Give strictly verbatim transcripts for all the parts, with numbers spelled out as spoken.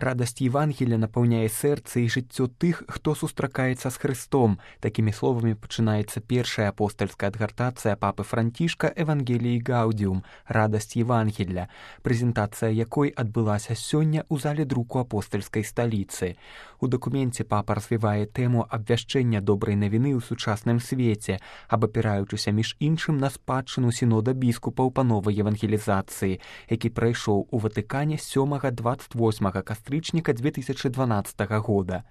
Радасць Євангелія напаўняе сэрца і жыццё тых, хто сустракаецца з Хрыстом. Такімі словамі пачынаецца першая апостальская адгартацыя папы Францішка «Евангеліі Гаудіум» «Радасць Євангелля», прэзентацыя якой адбылася сёння ў зале друку апостальскай сталіцы. У дакуменце папа развівае тэму абвяшчэння добрай навіны ў сучасным свеце, абапіраючыся між іншым на спадчыну сінода біскупаў па новай евангелізацыі, які прайшоў у Ватыкане сёмага дваццаць восьмага кастрычніка дзве тысячы дванаццатага года.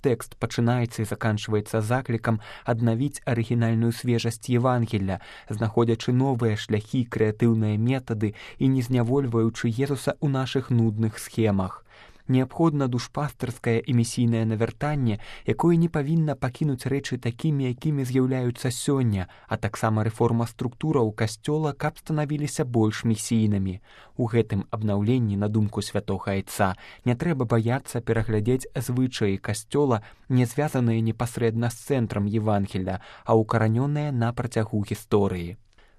Тэкст пачынаецца і заканчваецца заклікам аднавіць арыгінальную свежасць Євангелля, знаходзячы новыя шляхі, крэатыўныя метады і не знявольваючы Езуса ў нашых нудных схемах. Неабходна душпастырскае і місійнае навяртанне, якое не павінна пакінуць рэчы такімі, якімі з'яўляюцца сёння, а таксама рэформа структураў касцёла, каб станавіліся больш місійнымі. У гэтым абнаўленні, на думку святога айца, не трэба баяцца пераглядзець звычаі касцёла, не звязаныя непасрэдна з цэнтрам Євангелля, а ўкаранёныя на працягу гісторыі.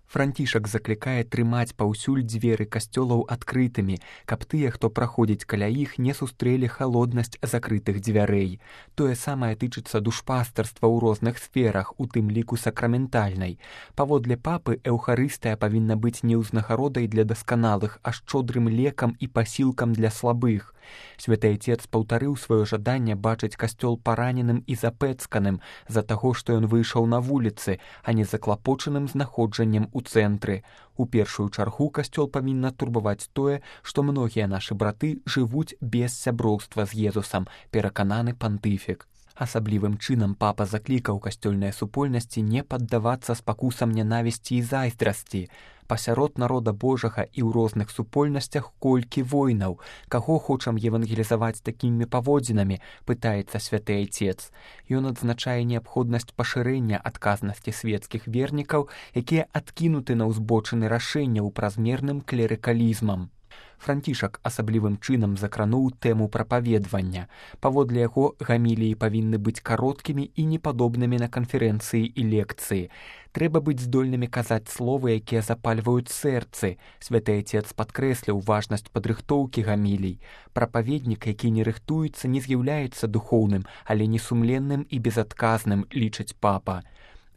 Францішак заклікае трымаць паўсюль дзверы касцёлаў адкрытымі, каб тыя, хто праходзіць каля іх, не сустрэлі халоднасць закрытых дзвярэй. Тое самае тычыцца душпастырства ў розных сферах, у тым ліку сакраментальнай. Паводле папы, эўхарыстыя павінна быць не ўзнагародай для дасканалых, а шчодрым лекам і пасілкам для слабых. Святы Айцец паўтарыў сваё жаданне бачыць касцёл параненым і запэцканым з-за таго, што ён выйшаў на вуліцы, а не заклапочаным знаходжаннем у цэнтры. У першую чаргу касцёл павінна турбаваць тое, што многія нашы браты жывуць без сяброўства з Езусам, перакананы пантыфік. Асаблівым чынам папа заклікаў касцёльныя супольнасці не паддавацца спакусам нянавісці і зайздрасці. Пасярод народа Божага і ў розных супольнасцях колькі войнаў. Каго хочам евангелізаваць такімі паводзінамі, пытаецца святы Айцец. Ён адзначае неабходнасць пашырэння адказнасці свецкіх вернікаў, якія адкінуты на ўзбочыны рашэнняў празмерным клерыкалізмам. Францішак асаблівым чынам закрануў тэму прапаведвання. Паводле яго, гаміліі павінны быць кароткімі і непадобнымі на канферэнцыі і лекцыі. Трэба быць здольнымі казаць словы, якія запальваюць сэрцы. Святы Айцец падкрэсліў важнасць падрыхтоўкі гамілій. Прапаведнік, які не рыхтуецца, не з'яўляецца духоўным, але несумленным і безадказным, лічыць папа.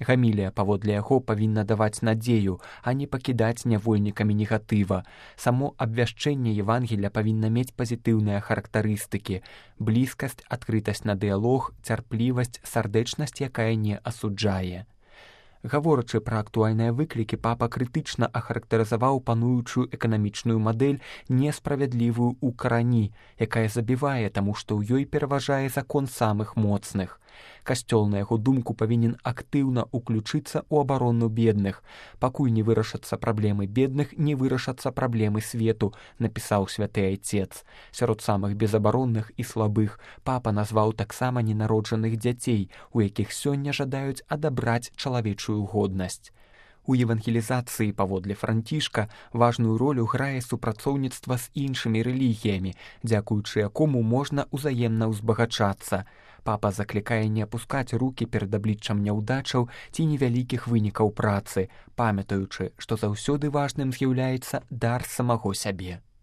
Гамілія, паводле яго, павінна даваць надзею, а не пакідаць нявольнікамі негатыва. Само абвяшчэнне Євангелля павінна мець пазітыўныя характарыстыкі: блізкасць, адкрытасць на дыялог, цярплівасць, сардэчнасць, якая не асуджае. Гаворачы пра актуальныя выклікі, папа крытычна ахарактарызаваў пануючую эканамічную мадэль несправядлівую ў карані, якая забівае, таму што ў ёй пераважае закон самых моцных. Касцёл, на яго думку, павінен актыўна ўключыцца ў абарону бедных. Пакуль не вырашацца праблемы бедных, не вырашацца праблемы свету, напісаў святы Айцец. Сярод самых безабаронных і слабых папа назваў таксама ненароджаных дзяцей, у якіх сёння жадаюць адабраць чалавечую годнасць. У евангелізацыі, паводле Францішка, важную ролю грае супрацоўніцтва з іншымі рэлігіямі, дзякуючы якому можна ўзаемна ўзбагачацца. Папа заклікае не апускаць рукі перад абліччам няўдачаў ці невялікіх вынікаў працы, памятаючы, што заўсёды важным з'яўляецца дар самого сябе.